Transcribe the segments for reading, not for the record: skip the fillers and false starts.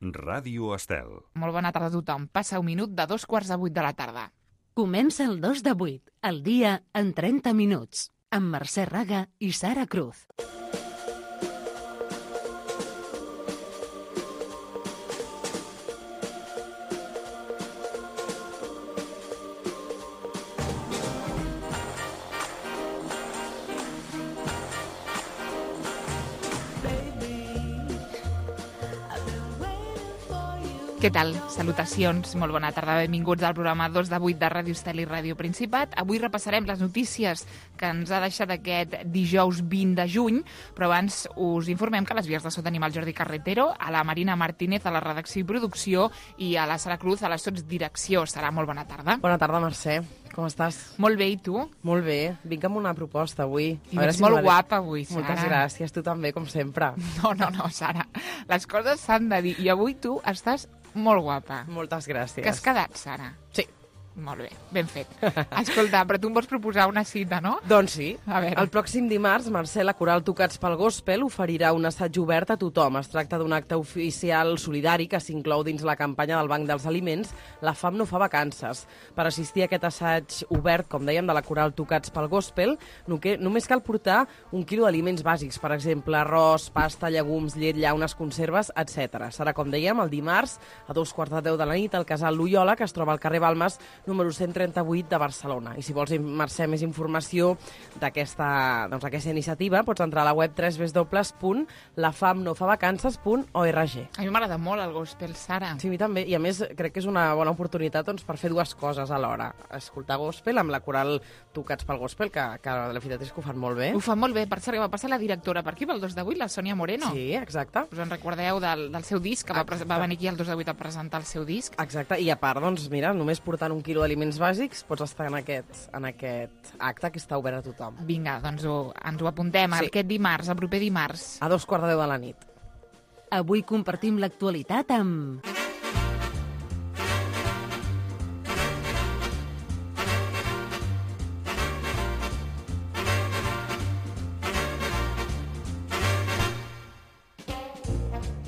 Ràdio Estel. Molt bona tarda a tothom. Passa un minut de 7:45 de la tarda. Comença el 2 de 8, el dia en 30 minuts, amb Mercè Raga i Sara Cruz. Què tal? Salutacions, molt bona tarda, benvinguts al programa 2 de 8 de Ràdio Estel i Ràdio Principat. Avui repassarem les notícies que ens ha deixat aquest dijous 20 de juny, però abans us informem que a les vies de so tenim el Jordi Carretero, a la Marina Martínez a la redacció i producció i a la Sara Cruz a la sotsdirecció. Sara, molt bona tarda. Bona tarda, Mercè. Com estàs? Molt bé, i tu? Molt bé. Vinc amb una proposta avui. I ets molt guapa avui, Sara. Moltes gràcies. Tu també, com sempre. No, Sara. Les coses s'han de dir. I avui tu estàs molt guapa. Moltes gràcies. Que has quedat, Sara? Sí. Molt bé, ben fet. Escolta, però tu em vols proposar una cita, no? Doncs sí. A veure. El pròxim dimarts, Mercè, la Coral Tocats pel Gospel oferirà un assaig obert a tothom. Es tracta d'un acte oficial solidari que s'inclou dins la campanya del Banc dels Aliments La fam no fa vacances. Per assistir a aquest assaig obert, com dèiem, de la Coral Tocats pel Gospel, només cal portar 1 quilo d'aliments bàsics, per exemple, arròs, pasta, llegums, llet, llaunes, conserves, etc. Serà, com dèiem, el dimarts a 2:45 de la nit al casal Loyola, que es troba al carrer Balmes, número 138 de Barcelona. I si vols, Mercè, més informació d'aquesta iniciativa, pots entrar a la web www.lafamnofavacances.org. A mi m'agrada molt el gospel, Sara. Sí, a mi també. I a més, crec que és una bona oportunitat per fer dues coses alhora. Escoltar gospel amb la Coral Tocats pel Gospel, que la veritat és que ho fan molt bé. Ho fan molt bé. Per cert, va passar la directora per aquí, pel 2 de 8, la Sònia Moreno. Sí, exacte. Us en recordeu del seu disc, que va venir aquí el 2 de 8 a presentar el seu disc? Exacte, i a part, doncs, mira, només portant 1 quilo d'aliments bàsics pots estar en aquest acte que està obert a tothom. Vinga, doncs ens ho apuntem. Sí. Aquest dimarts, el proper dimarts. A 2:45 de la nit. Avui compartim l'actualitat amb...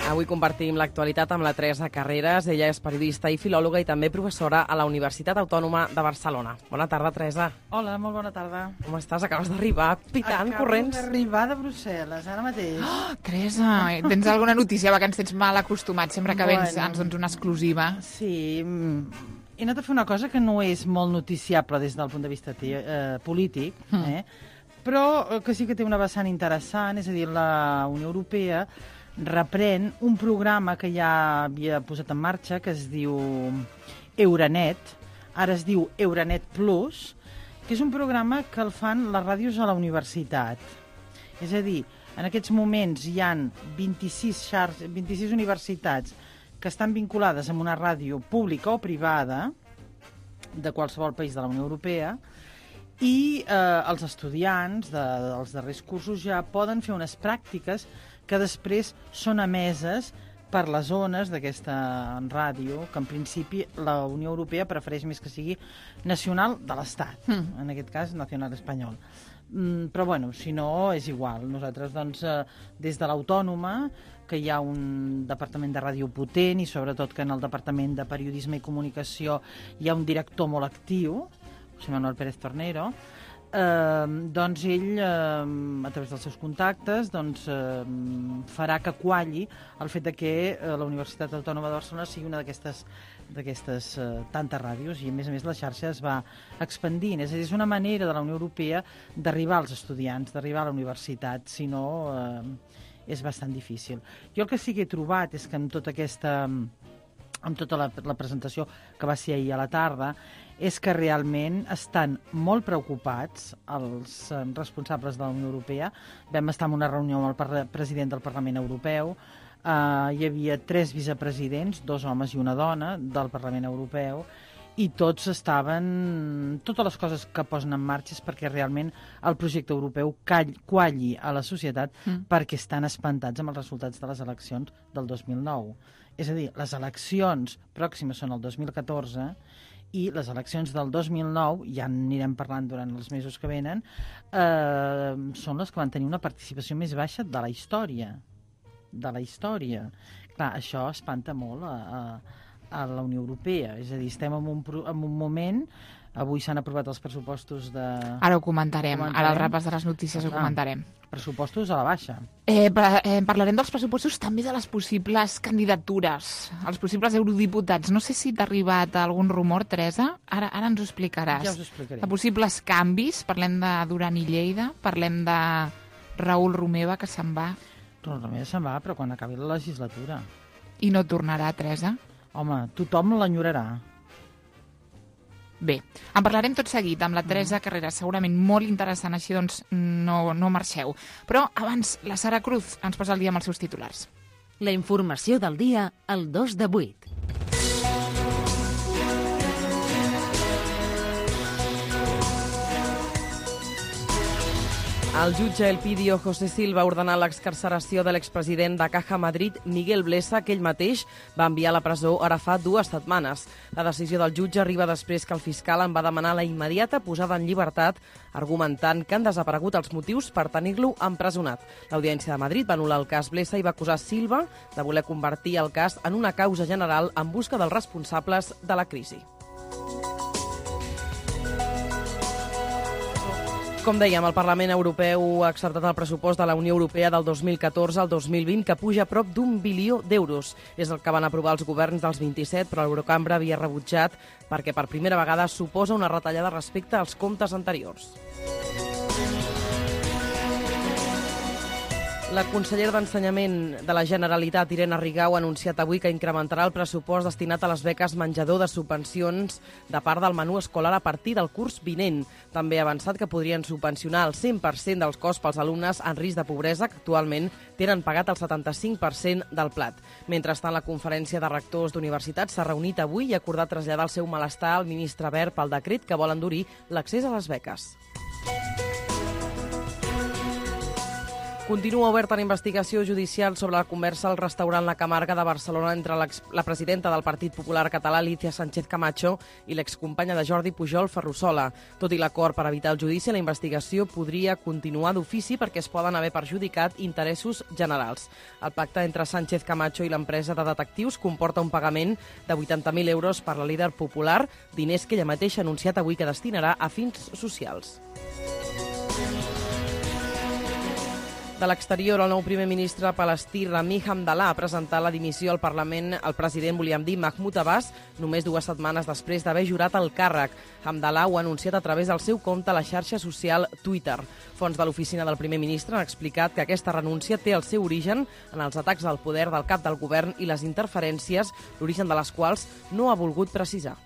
Avui compartim l'actualitat amb la Teresa Carreras. Ella és periodista i filòloga i també professora a la Universitat Autònoma de Barcelona. Bona tarda, Teresa. Hola, molt bona tarda. Com estàs? Acabes d'arribar pitant, corrents. Acabo d'arribar de Brussel·les, ara mateix. Oh, Teresa, tens alguna notícia? Que ens tens mal acostumats sempre que vens, ens dones una exclusiva. Sí, he anat a fer una cosa que no és molt noticiable des del punt de vista polític, però que sí que té una vessant interessant, és a dir, la Unió Europea reprèn un programa que ja havia posat en marxa, que es diu Euranet, ara es diu Euranet Plus, que és un programa que el fan les ràdios a la universitat. És a dir, en aquests moments hi ha 26 universitats que estan vinculades amb una ràdio pública o privada de qualsevol país de la Unió Europea i els estudiants dels darrers cursos ja poden fer unes pràctiques que després són emeses per les ones d'aquesta ràdio, que en principi la Unió Europea prefereix més que sigui nacional de l'Estat, en aquest cas nacional espanyol. Però bueno, si no, és igual. Nosaltres, doncs, des de l'Autònoma, que hi ha un departament de ràdio potent i sobretot que en el departament de periodisme i comunicació hi ha un director molt actiu, José Manuel Pérez Tornero, doncs ell, a través dels seus contactes, farà que qualli el fet que la Universitat Autònoma de Barcelona sigui una d'aquestes tantes ràdios i, a més, la xarxa es va expandint. És a dir, és una manera de la Unió Europea d'arribar als estudiants, d'arribar a la universitat, si no és bastant difícil. Jo el que sí que he trobat és que amb tota la presentació que va ser ahir a la tarda, és que realment estan molt preocupats els responsables de la Unió Europea. Vam estar en una reunió amb el president del Parlament Europeu, hi havia 3 vicepresidents, 2 homes i una dona del Parlament Europeu, i totes les coses que posen en marxa és perquè realment el projecte europeu qualli a la societat perquè estan espantats amb els resultats de les eleccions del 2009. És a dir, les eleccions pròximes són el 2014 i les eleccions del 2009, ja anirem parlant durant els mesos que venen, són les que van tenir una participació més baixa de la història. Clar, això espanta molt a la Unió Europea. És a dir, estem en un moment... Avui s'han aprovat els pressupostos de... Ara ho comentarem. Ara al repàs de les notícies ho comentarem. Pressupostos a la baixa. Parlarem dels pressupostos, també de les possibles candidatures, els possibles eurodiputats. No sé si t'ha arribat algun rumor, Teresa. Ara ens ho explicaràs. Ja us ho explicaré. De possibles canvis, parlem de Duran i Lleida, parlem de Raül Romeva, que se'n va. Raül Romeva se'n va, però quan acabi la legislatura. I no tornarà, Teresa? Home, tothom l'enyorarà. Bé, en parlarem tot seguit amb la Teresa Carreras, segurament molt interessant, així doncs no marxeu. Però abans, la Sara Cruz ens posa el dia amb els seus titulars. La informació del dia al 2 de 8. El jutge Elpidio José Silva ha ordenat l'excarceració de l'expresident de Caja Madrid, Miguel Blesa, que ell mateix va enviar a la presó ara fa 2 setmanes. La decisió del jutge arriba després que el fiscal en va demanar la immediata posada en llibertat, argumentant que han desaparegut els motius per tenir-lo empresonat. L'Audiència de Madrid va anul·lar el cas Blesa i va acusar Silva de voler convertir el cas en una causa general en busca dels responsables de la crisi. Com dèiem, el Parlament Europeu ha acceptat el pressupost de la Unió Europea del 2014 al 2020, que puja a prop d'1 bilió d'euros. És el que van aprovar els governs dels 27, però l'Eurocambra havia rebutjat perquè per primera vegada suposa una retallada respecte als comptes anteriors. La consellera d'Ensenyament de la Generalitat, Irene Rigau, ha anunciat avui que incrementarà el pressupost destinat a les beques menjador de subvencions de part del menú escolar a partir del curs vinent. També ha avançat que podrien subvencionar el 100% dels costs pels alumnes en risc de pobresa, que actualment tenen pagat el 75% del plat. Mentrestant, la Conferència de Rectors d'Universitats s'ha reunit avui i ha acordat traslladar el seu malestar al ministre Wert pel decret que vol endurir l'accés a les beques. Continua oberta la investigació judicial sobre la conversa al restaurant La Camarga de Barcelona entre la presidenta del Partit Popular Català, Alicia Sánchez Camacho, i l'excompanya de Jordi Pujol, Ferrusola. Tot i l'acord per evitar el judici, la investigació podria continuar d'ofici perquè es poden haver perjudicat interessos generals. El pacte entre Sánchez Camacho i l'empresa de detectius comporta un pagament de 80.000 euros per la líder popular, diners que ella mateixa ha anunciat avui que destinarà a fins socials. De l'exterior, el nou primer ministre palestí Rami Hamdallah ha presentat la dimissió al Parlament al president, volíem dir, Mahmoud Abbas, només 2 setmanes després d'haver jurat el càrrec. Hamdallah ho ha anunciat a través del seu compte a la xarxa social Twitter. Fonts de l'oficina del primer ministre han explicat que aquesta renúncia té el seu origen en els atacs al poder del cap del govern i les interferències, l'origen de les quals no ha volgut precisar.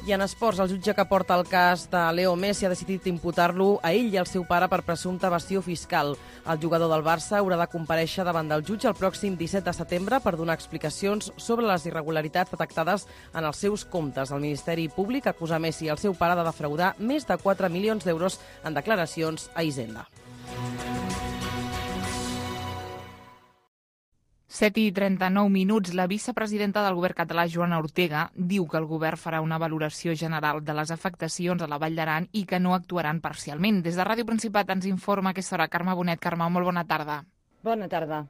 I en esports, el jutge que porta el cas de Leo Messi ha decidit imputar-lo a ell i al seu pare per presumpta evasió fiscal. El jugador del Barça haurà de comparèixer davant del jutge el pròxim 17 de setembre per donar explicacions sobre les irregularitats detectades en els seus comptes. El Ministeri Públic acusa Messi i el seu pare de defraudar més de 4 milions d'euros en declaracions a Hisenda. 7:39. La vicepresidenta del govern català, Joana Ortega, diu que el govern farà una valoració general de les afectacions a la Vall d'Aran i que no actuaran parcialment. Des de Ràdio Principat ens informa a aquesta hora Carme Bonet. Carme, molt bona tarda. Bona tarda.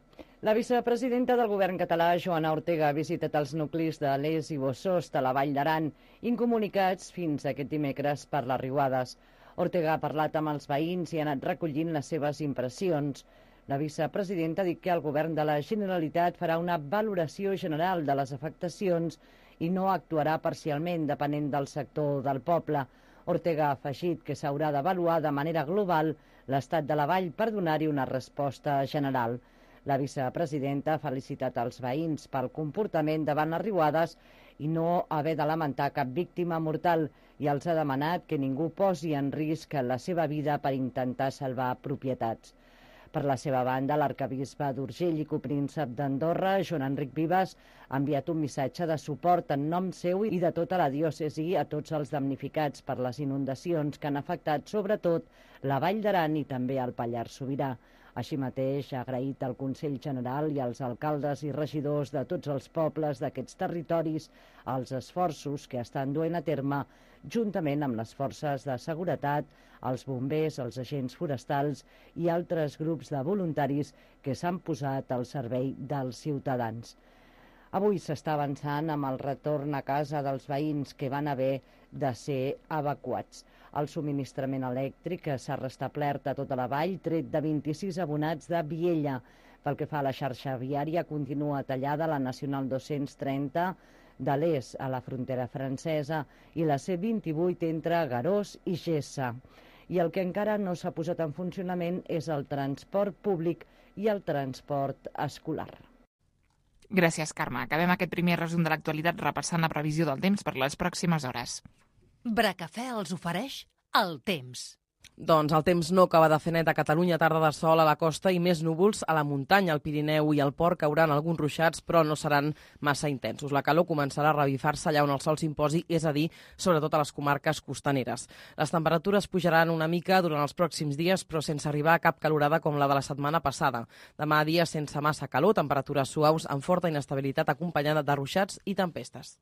La vicepresidenta del govern català, Joana Ortega, ha visitat els nuclis de Les i Bossost a la Vall d'Aran, incomunicats fins aquest dimecres per les riuades. Ortega ha parlat amb els veïns i ha anat recollint les seves impressions. La vicepresidenta ha dit que el govern de la Generalitat farà una valoració general de les afectacions i no actuarà parcialment depenent del sector del poble. Ortega ha afegit que s'haurà d'avaluar de manera global l'estat de la vall per donar-hi una resposta general. La vicepresidenta ha felicitat els veïns pel comportament davant les riuades i no haver de lamentar cap víctima mortal i els ha demanat que ningú posi en risc la seva vida per intentar salvar propietats. Per la seva banda, l'arquebisbe d'Urgell i copríncep d'Andorra, Joan Enric Vives, ha enviat un missatge de suport en nom seu i de tota la diòcesi a tots els damnificats per les inundacions que han afectat sobretot la Vall d'Aran i també el Pallars Sobirà. Així mateix, ha agraït al Consell General i als alcaldes i regidors de tots els pobles d'aquests territoris els esforços que estan duent a terme juntament amb les forces de seguretat, els bombers, els agents forestals i altres grups de voluntaris que s'han posat al servei dels ciutadans. Avui s'està avançant amb el retorn a casa dels veïns que van haver de ser evacuats. El subministrament elèctric s'ha restablert a tota la vall, tret de 26 abonats de Viella. Pel que fa a la xarxa viària, continua tallada la Nacional 230 de l'est a la frontera francesa i la C28 entre Garós i Gessa. I el que encara no s'ha posat en funcionament és el transport públic i el transport escolar. Gràcies, Carme. Acabem aquest primer resum de l'actualitat repassant la previsió del temps per les pròximes hores. Bracafè els ofereix el temps. Doncs el temps no acaba de fer net a Catalunya, tarda de sol a la costa i més núvols a la muntanya, al Pirineu i al Port cauran alguns ruixats, però no seran massa intensos. La calor començarà a revifar-se allà on el sol s'imposi, és a dir, sobretot a les comarques costaneres. Les temperatures pujaran una mica durant els pròxims dies, però sense arribar a cap calorada com la de la setmana passada. Demà dia sense massa calor, temperatures suaus amb forta inestabilitat acompanyada de ruixats i tempestes.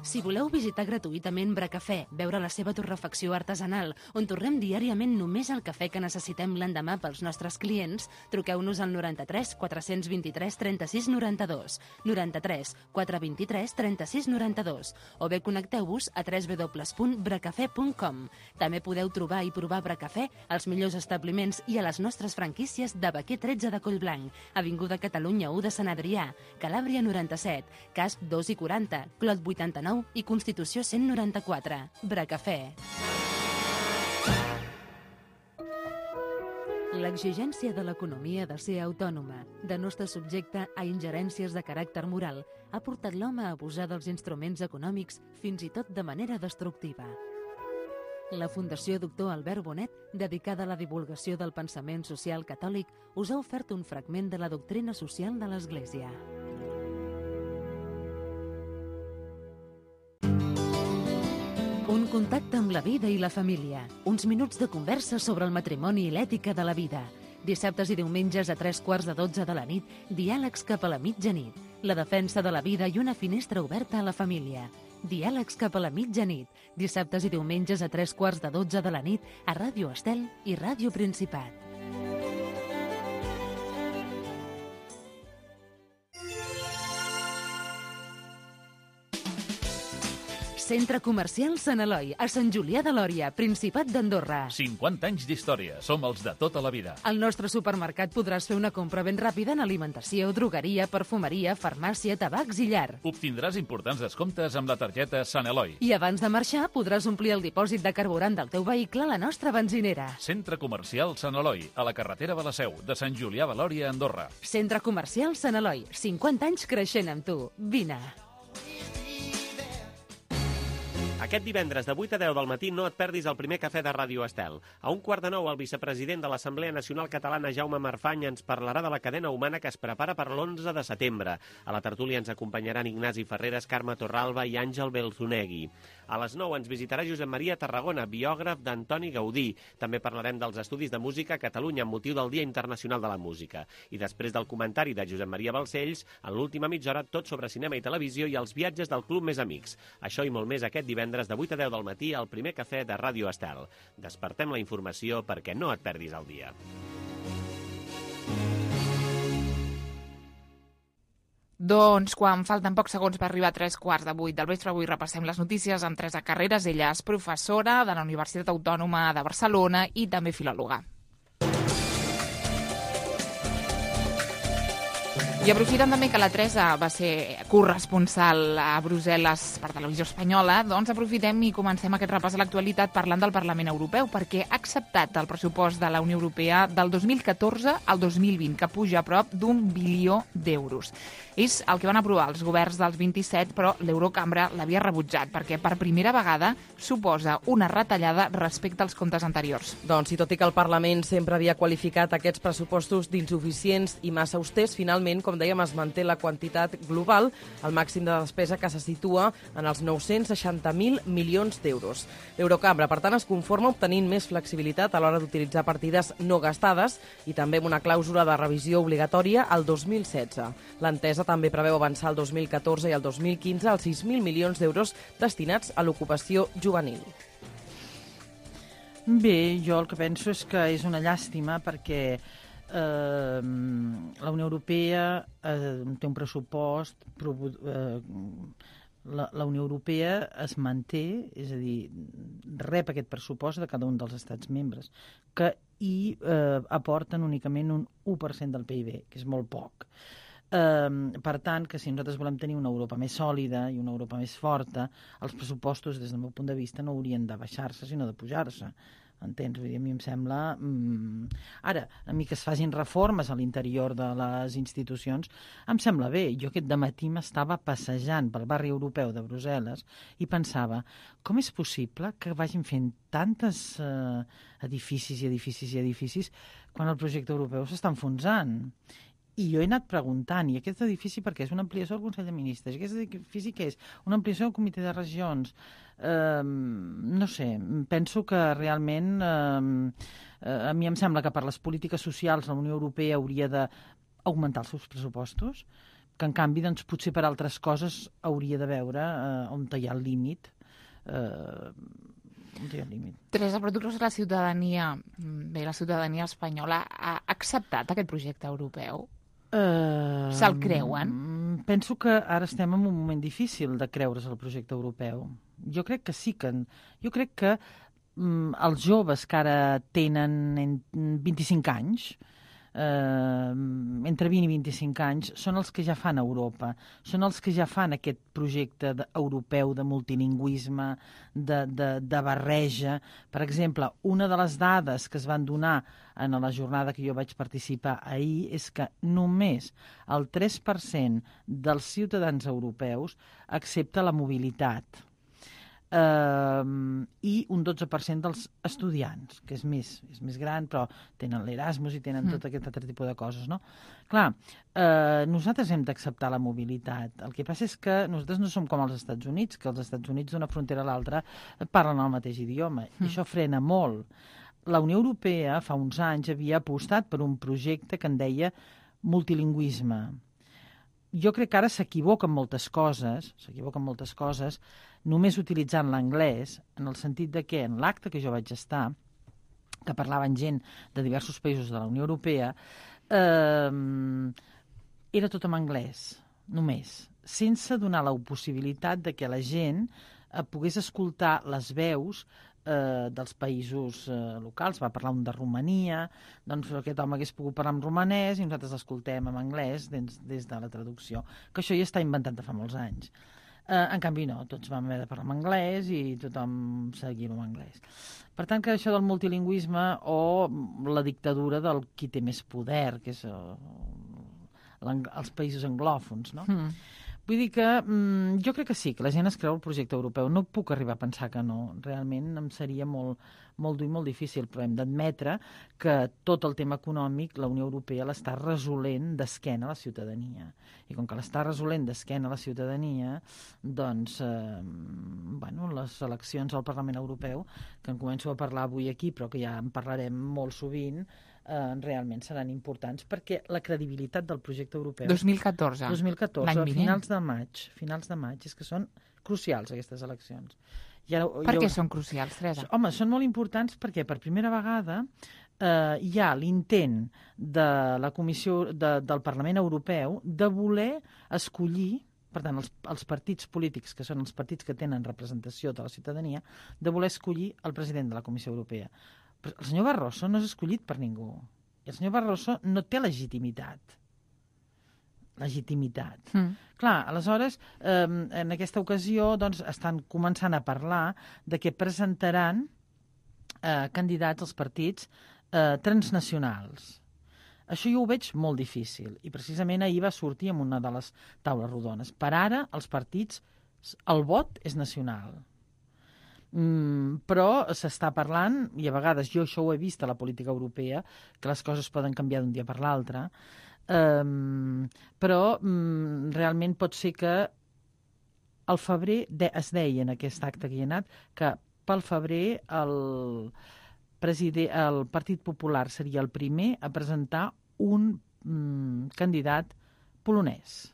Si voleu visitar gratuïtament Bracafè, veure la seva torrefacció artesanal, on torrem diàriament només el cafè que necessitem l'endemà pels nostres clients, truqueu-nos al 93 423 36 92, 93 423 36 92, o bé connecteu-vos a www.bracafè.com. També podeu trobar i provar Bracafè als millors establiments i a les nostres franquícies de Baquer 13 de Collblanc, Avinguda Catalunya 1 de Sant Adrià, Calàbria 97, Casp 2 i 40, Clot 89 i Constitució 194. Bracafè. L'exigència de l'economia de ser autònoma, de no estar subjecte a ingerències de caràcter moral, ha portat l'home a abusar dels instruments econòmics fins i tot de manera destructiva. La Fundació Doctor Albert Bonet, dedicada a la divulgació del pensament social catòlic, us ha ofert un fragment de la doctrina social de l'Església. Un contacte amb la vida i la família. Uns minuts de conversa sobre el matrimoni i l'ètica de la vida. Dissabtes i diumenges a 11:45 de la nit, diàlegs cap a la mitjanit. La defensa de la vida i una finestra oberta a la família. Diàlegs cap a la mitjanit. Dissabtes i diumenges a 11:45 de la nit a Ràdio Estel i Ràdio Principat. Centre Comercial Sant Eloi, a Sant Julià de Lòria, Principat d'Andorra. 50 anys d'història. Som els de tota la vida. Al nostre supermercat podràs fer una compra ben ràpida en alimentació, drogueria, perfumeria, farmàcia, tabacs i llar. Obtindràs importants descomptes amb la targeta Sant Eloi. I abans de marxar podràs omplir el dipòsit de carburant del teu vehicle a la nostra benzinera. Centre Comercial Sant Eloi, a la carretera de la Seu, de Sant Julià de Lòria, Andorra. Centre Comercial Sant Eloi, 50 anys creixent amb tu. Vine. Aquest divendres de 8 a 10 del matí no et perdis el primer cafè de Ràdio Estel. A 8:45 el vicepresident de l'Assemblea Nacional Catalana, Jaume Marfany, ens parlarà de la cadena humana que es prepara per l'11 de setembre. A la tertúlia ens acompanyaran Ignasi Ferreres, Carme Torralba i Àngel Belzunegui. A les 9 ens visitarà Josep Maria Tarragona, biògraf d'Antoni Gaudí. També parlarem dels estudis de música a Catalunya amb motiu del Dia Internacional de la Música. I després del comentari de Josep Maria Balcells, en l'última mitja hora tot sobre cinema i televisió i els viatges del Club Més Amics. Això i molt més aquest divendres de 8 a 10 del matí al primer cafè de Ràdio Estel. Despertem la informació perquè no et perdis el dia. Doncs quan falten pocs segons per arribar a 7:45 del vespre, avui repassem les notícies amb Teresa Carreras. Ella és professora de la Universitat Autònoma de Barcelona i també filòloga. I aprofitant també que la Teresa va ser corresponsal a Brussel·les per Televisió Espanyola, doncs aprofitem i comencem aquest repàs a l'actualitat parlant del Parlament Europeu, perquè ha acceptat el pressupost de la Unió Europea del 2014 al 2020, que puja a prop d'1 bilió d'euros. És el que van aprovar els governs dels 27, però l'Eurocambra l'havia rebutjat, perquè per primera vegada suposa una retallada respecte als comptes anteriors. Doncs, i tot i que el Parlament sempre havia qualificat aquests pressupostos d'insuficients i massa austers, finalment, com com dèiem, es manté la quantitat global, el màxim de despesa que se situa en els 960.000 milions d'euros. L'Eurocambra, per tant, es conforma obtenint més flexibilitat a l'hora d'utilitzar partides no gastades i també amb una clàusula de revisió obligatòria al 2016. L'entesa també preveu avançar el 2014 i el 2015 als 6.000 milions d'euros destinats a l'ocupació juvenil. Bé, jo el que penso és que és una llàstima perquè la Unió Europea té un pressupost, la Unió Europea es manté, és a dir, rep aquest pressupost de cada un dels estats membres, que hi aporten únicament un 1% del PIB, que és molt poc. Per tant, que si nosaltres volem tenir una Europa més sòlida i una Europa més forta, els pressupostos, des del meu punt de vista, no haurien de baixar-se, sinó de pujar-se. Entens? Vull dir, a mi em sembla... Ara, a mi que es facin reformes a l'interior de les institucions, em sembla bé. Jo aquest dematí m'estava passejant pel barri europeu de Brussel·les i pensava, com és possible que vagin fent tantes edificis i edificis i edificis quan el projecte europeu s'està enfonsant? I jo he anat preguntant, i aquest edifici per què? És una ampliació del Consell de Ministres? I aquest edifici què és? Una ampliació del Comitè de Regions? No sé, penso que realment a mi em sembla que per les polítiques socials la Unió Europea hauria d'augmentar els seus pressupostos, que en canvi doncs, potser per altres coses hauria de veure on hi ha el límit. Teresa, però tu creus que la ciutadania espanyola ha acceptat aquest projecte europeu? Se'l creuen? Penso que ara estem en un moment difícil de creure's el projecte europeu. Jo crec que sí que... Jo crec que els joves que ara tenen 25 anys, entre 20 i 25 anys, són els que ja fan Europa, són els que ja fan aquest projecte europeu de multilingüisme, de barreja. Per exemple, una de les dades que es van donar en la jornada que jo vaig participar ahir és que només el 3% dels ciutadans europeus accepta la mobilitat. I un 12% dels estudiants, que és més gran, però tenen l'Erasmus i tenen tot aquest altre tipus de coses, no? Clar, nosaltres hem d'acceptar la mobilitat. El que passa és que nosaltres no som com els Estats Units, que els Estats Units d'una frontera a l'altra parlen el mateix idioma, i això frena molt. La Unió Europea fa uns anys havia apostat per un projecte que en deia multilingüisme. Jo crec que ara s'equivoquen moltes coses, només utilitzant l'anglès, en el sentit de que en l'acte que jo vaig estar, que parlaven gent de diversos països de la Unió Europea, era tot en anglès, només, sense donar la possibilitat de que la gent pogués escoltar les veus dels països locals. Va parlar un de Romania, doncs aquest home hagués pogut parlar en romanès i nosaltres l'escoltem en anglès des de la traducció, que això ja està inventat de fa molts anys. En canvi no, tots vam haver de parlar en anglès i tothom seguia en anglès. Per tant, que això del multilingüisme o la dictadura del qui té més poder, que és els països anglòfons, no? Vull dir que jo crec que sí, que la gent es creu el projecte europeu. No puc arribar a pensar que no. Realment em seria molt dur i molt difícil, però hem d'admetre que tot el tema econòmic la Unió Europea l'està resolent d'esquena a la ciutadania. I com que l'està resolent d'esquena a la ciutadania, doncs, les eleccions al Parlament Europeu, que en començo a parlar avui aquí, però que ja en parlarem molt sovint, realment seran importants perquè la credibilitat del projecte europeu... 2014, finals de maig, és que són crucials aquestes eleccions. Per què són crucials, Teresa? Home, són molt importants perquè per primera vegada hi ha l'intent de la Comissió del Parlament Europeu de voler escollir, per tant, els partits polítics, que són els partits que tenen representació de la ciutadania, de voler escollir el president de la Comissió Europea. Però el senyor Barroso no és escollit per ningú. I el senyor Barroso no té legitimitat. Clar, aleshores, en aquesta ocasió doncs, estan començant a parlar de que presentaran candidats als partits transnacionals. Això jo ho veig molt difícil i precisament ahir va sortir en una de les taules rodones. Per ara, els partits, el vot és nacional. Però s'està parlant, i a vegades jo això ho he vist a la política europea, que les coses poden canviar d'un dia per l'altre, Però realment pot ser que al febrer es deia en aquest acte que hi ha anat que pel febrer el Partit Popular seria el primer a presentar un candidat polonès.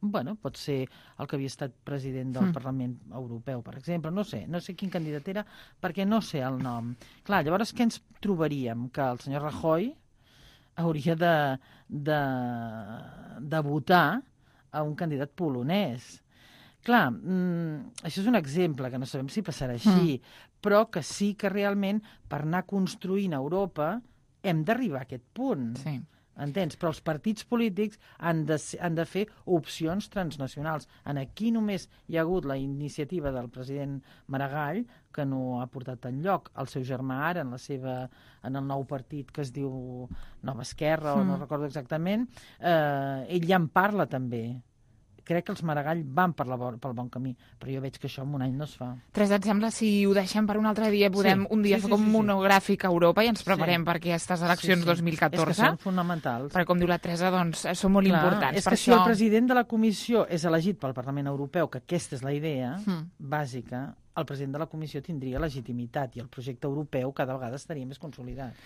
Bueno, pot ser el que havia estat president del Parlament Europeu, per exemple. No sé quin candidat era, perquè no sé el nom. Clar, llavors què ens trobaríem? Que el senyor Rajoy hauria de votar a un candidat polonès. Clar, això és un exemple, que no sabem si passarà així, però que sí que realment per anar construint Europa hem d'arribar a aquest punt. Sí. Entens? Però els partits polítics han de fer opcions transnacionals. Aquí només hi ha hagut la iniciativa del president Maragall, que no ha portat enlloc. El seu germà ara, en el nou partit que es diu Nova Esquerra, o no recordo exactament, ell ja en parla també. Crec que els Maragall van pel bon camí, però jo veig que això en un any no es fa. Teresa, et sembla si ho deixem per un altre dia, podem un dia fer com un monogràfic a Europa i ens preparem per aquestes eleccions 2014? És que són fonamentals. Perquè, com diu la Teresa, doncs, són molt importants. És que si el president de la Comissió és elegit pel Parlament Europeu, que aquesta és la idea bàsica, el president de la Comissió tindria legitimitat i el projecte europeu cada vegada estaria més consolidat.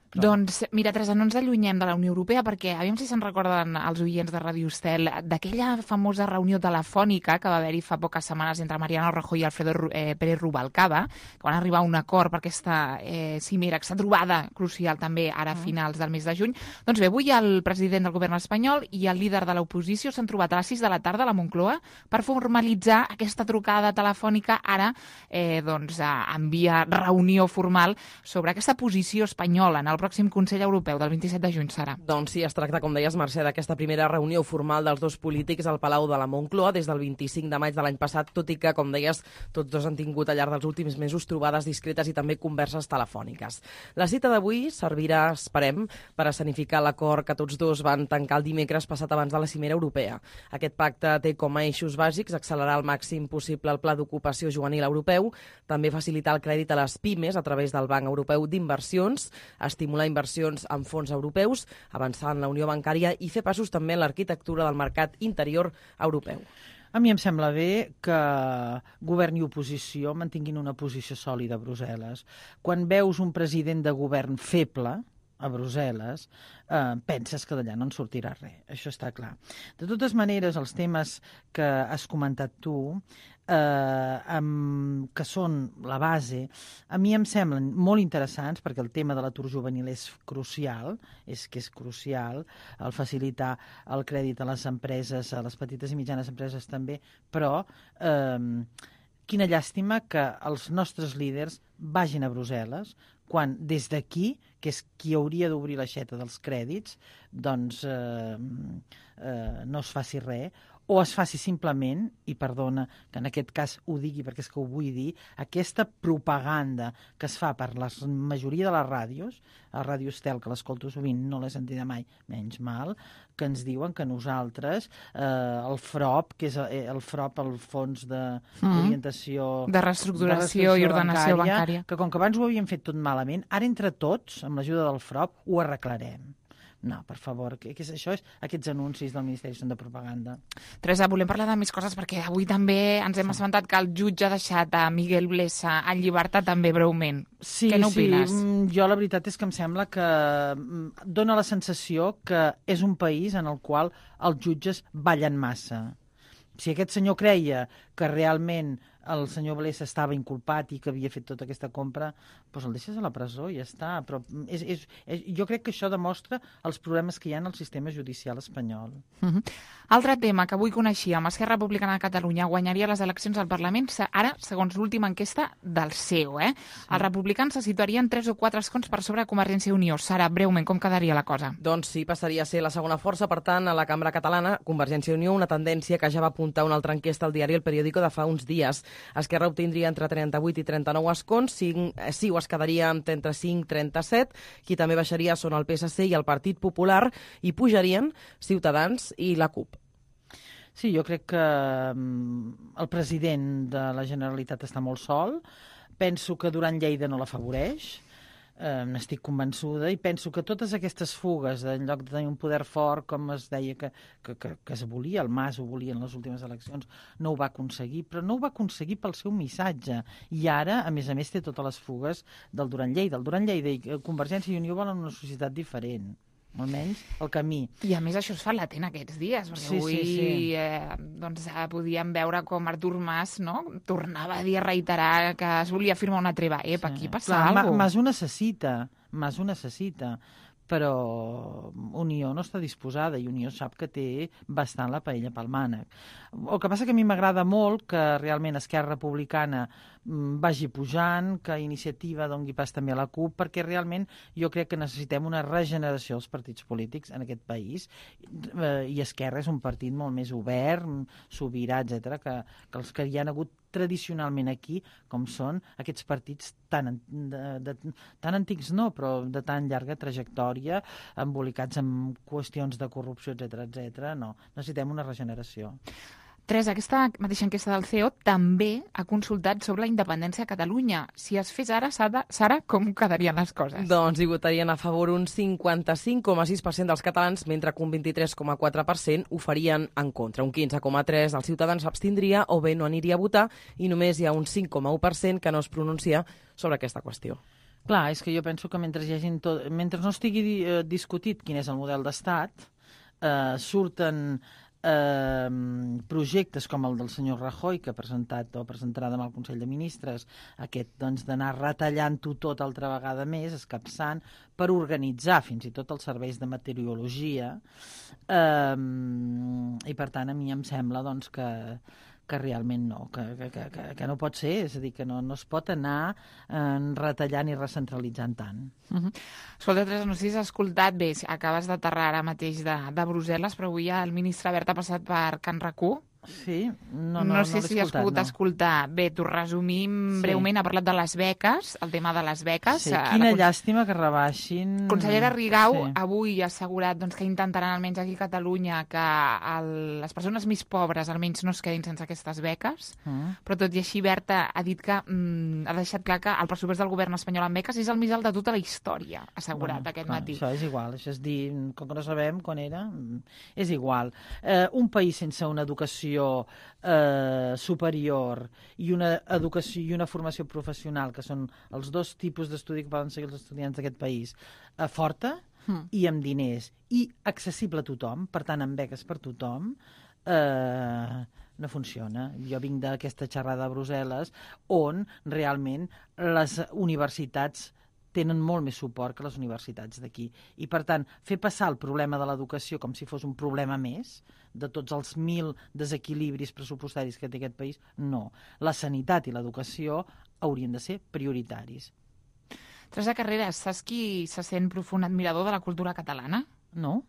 Doncs, mira, Teresa, no ens allunyem de la Unió Europea perquè, aviam si se'n recorden els oients de Ràdio Estel, d'aquella famosa reunió telefònica que va haver-hi fa poques setmanes entre Mariano Rajoy i Alfredo Pérez Rubalcaba, que van arribar a un acord per aquesta cimera, aquesta trobada crucial també ara a finals del mes de juny. Doncs bé, avui el president del govern espanyol i el líder de l'oposició s'han trobat a les 6 de la tarda a la Moncloa per formalitzar aquesta trucada telefònica ara en via reunió formal sobre aquesta posició espanyola en el pròxim Consell Europeu del 27 de juny serà. Doncs sí, es tracta, com deies, Mercè, d'aquesta primera reunió formal dels dos polítics al Palau de la Moncloa des del 25 de maig de l'any passat, tot i que, com deies, tots dos han tingut al llarg dels últims mesos trobades discretes i també converses telefòniques. La cita d'avui servirà, esperem, per escenificar l'acord que tots dos van tancar el dimecres passat abans de la cimera europea. Aquest pacte té com a eixos bàsics accelerar al màxim possible el Pla d'Ocupació Juvenil Europeu, també facilitar el crèdit a les pimes a través del Banc Europeu d'Inversions, estimular inversions en fons europeus, avançar en la unió bancària i fer passos també en l'arquitectura del mercat interior europeu. A mi em sembla bé que govern i oposició mantinguin una posició sòlida a Brussel·les. Quan veus un president de govern feble a Brussel·les, penses que d'allà no en sortirà res. Això està clar. De totes maneres, els temes que has comentat tu, que són la base, a mi em semblen molt interessants perquè el tema de l'atur juvenil és crucial, el facilitar el crèdit a les empreses, a les petites i mitjanes empreses també, però quina llàstima que els nostres líders vagin a Brussel·les quan des d'aquí, que és qui hauria d'obrir l'aixeta dels crèdits, doncs no es faci res, o es faci simplement, i perdona que en aquest cas ho digui perquè és que ho vull dir, aquesta propaganda que es fa per la majoria de les ràdios, a Ràdio Estel, que l'escolto sovint, no l'he sentida mai, menys mal, que ens diuen que nosaltres, el FROP, que és el FROP, el Fons d'Orientació... De reestructuració i ordenació bancària, que com que abans ho havíem fet tot malament, ara entre tots, amb l'ajuda del FROP, ho arreglarem. No, per favor, aquests anuncis del Ministeri són de propaganda. Teresa, volem parlar de més coses perquè avui també ens hem assabentat que el jutge ha deixat a Miguel Blesa en llibertat també breument. Sí, què n'opines? Sí, jo la veritat és que em sembla que dona la sensació que és un país en el qual els jutges ballen massa. Si aquest senyor creia que realment el senyor Blesa estava inculpat i que havia fet tota aquesta compra, doncs el deixes a la presó i ja està. Però jo crec que això demostra els problemes que hi ha en el sistema judicial espanyol. Altre tema que avui coneixíem, Esquerra Republicana de Catalunya guanyaria les eleccions al Parlament, ara, segons l'última enquesta del CEO. Sí. Els republicans se situarien 3 o 4 escons per sobre de Convergència i Unió. Sara, breument, com quedaria la cosa? Doncs sí, passaria a ser la segona força, per tant, a la cambra catalana, Convergència i Unió, una tendència que ja va apuntar una altra enquesta al diari El Periódico de fa uns dies. Esquerra obtindria entre 38 i 39 escons, CiU es quedaria entre 5 i 37, qui també baixaria són el PSC i el Partit Popular, i pujarien Ciutadans i la CUP. Sí, jo crec que el president de la Generalitat està molt sol. Penso que Duran Lleida no l'afavoreix. n'estic convençuda i penso que totes aquestes fugues, en lloc de tenir un poder fort, com es deia que es volia, el Mas ho volia en les últimes eleccions, no ho va aconseguir, però no ho va aconseguir pel seu missatge. I ara, a més, té totes les fugues del Duran Lleida. El Duran Lleida i Convergència i Unió volen una societat diferent, almenys el camí. I a més això es fa latent aquests dies, perquè avui doncs, podíem veure com Artur Mas, no?, tornava a dir, a reiterar que es volia firmar una treva. Aquí passa alguna cosa. Mas ho necessita, però Unió no està disposada i Unió sap que té bastant la paella pel mànec. El que passa que a mi m'agrada molt que realment Esquerra Republicana vagi pujant, que Iniciativa doni pas també a la CUP, perquè realment jo crec que necessitem una regeneració dels partits polítics en aquest país, i Esquerra és un partit molt més obert, sobirà, etc., que els que hi han hagut tradicionalment aquí, com són aquests partits tan antics no, però de tan llarga trajectòria, embolicats en qüestions de corrupció, etc. No, necessitem una regeneració. Teresa, aquesta mateixa enquesta del CEO també ha consultat sobre la independència a Catalunya. Si es fes ara, Sara, com quedarien les coses? Doncs hi votarien a favor un 55,6% dels catalans, mentre que un 23,4% ho farien en contra. Un 15,3% dels ciutadans s'abstindria o bé no aniria a votar i només hi ha un 5,1% que no es pronuncia sobre aquesta qüestió. Clar, és que jo penso que mentre no estigui discutit quin és el model d'estat, surten projectes com el del senyor Rajoy, que ha presentat o presentarà demà al Consell de Ministres, aquest doncs, d'anar retallant-ho tot altra vegada més, escapçant, per organitzar fins i tot els serveis de meteorologia, i per tant a mi em sembla doncs, que realment no, que no pot ser, és a dir, que no es pot anar retallant i recentralitzant tant. Escolta, Teresa, no sé si has escoltat bé, acabes d'aterrar ara mateix de Brussel·les, però avui el ministre Wert ha passat per Can RAC1. Sí, no sé si has pogut escoltar. Bé, t'ho resumim breument. Ha parlat de les beques, el tema de les beques. Sí, quina llàstima que rebaixin. Consellera Rigau avui ha assegurat que intentaran, almenys aquí a Catalunya, que les persones més pobres almenys no es quedin sense aquestes beques, però tot i així Wert ha dit que ha deixat clar que el pressupost del govern espanyol en beques és el més alt de tota la història, ha assegurat aquest matí. Això és igual, això és dir, com que no sabem quan era, és igual. Un país sense una educació superior i una educació i una formació professional, que són els dos tipus d'estudi que poden seguir els estudiants d'aquest país, forta i amb diners i accessible a tothom, per tant amb beques per tothom, no funciona. Jo vinc d'aquesta xerrada a Brussel·les on realment les universitats tenen molt més suport que les universitats d'aquí. I, per tant, fer passar el problema de l'educació com si fos un problema més, de tots els 1.000 desequilibris pressupostaris que té aquest país, no. La sanitat i l'educació haurien de ser prioritaris. Teresa Carreras, saps qui se sent profund admirador de la cultura catalana? No.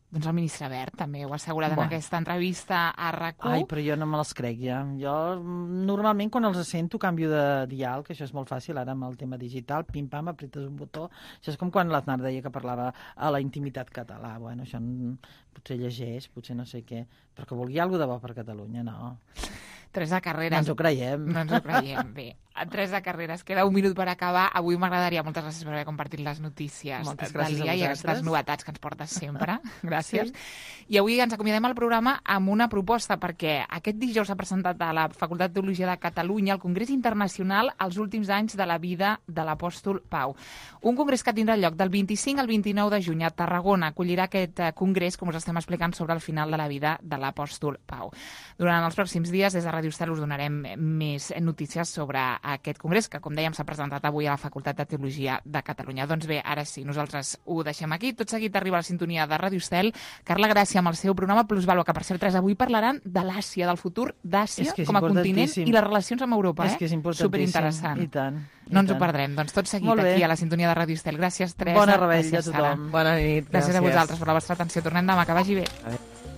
Doncs el ministre Wert també ho ha assegurat en aquesta entrevista a RAC1. Ai, però jo no me les crec ja. Jo normalment quan els sento canvio de dial, que això és molt fàcil, ara amb el tema digital, pim-pam, apretes un botó. Això és com quan l'Aznar deia que parlava a la intimitat català. Bueno, això potser llegeix, potser no sé què, però que vulgui alguna de bo per Catalunya, no. Teresa Carreras. No ens ho creiem. No ens ho creiem, bé. Teresa Carreras, queda un minut per acabar. Avui m'agradaria, moltes gràcies per haver compartit les notícies del dia i aquestes novetats que ens portes sempre. Gràcies. Sí. I avui ens acomiadem al programa amb una proposta, perquè aquest dijous s'ha presentat a la Facultat de Teologia de Catalunya el Congrés Internacional als últims anys de la vida de l'apòstol Pau. Un congrés que tindrà lloc del 25 al 29 de juny a Tarragona. Acollirà aquest congrés, com us estem explicant, sobre el final de la vida de l'apòstol Pau. Durant els pròxims dies, des de Ràdio Estel us donarem més notícies sobre aquest congrés, que, com dèiem, s'ha presentat avui a la Facultat de Teologia de Catalunya. Doncs bé, ara sí, nosaltres ho deixem aquí. Tot seguit arriba la sintonia de Ràdio Estel. Carla Gràcia amb el seu programa Plusvalua, que per cert, avui parlaran de l'Àsia, del futur d'Àsia com a continent i les relacions amb Europa. És que és importantíssim. Superinteressant. I tant. No ens ho perdrem. Doncs tot seguit aquí a la sintonia de Ràdio Estel. Gràcies, Teresa. Bona revetlla a tothom. Bona nit. Gràcies a vosaltres per la vostra atenció. Tornem demà, que vagi bé. Adéu.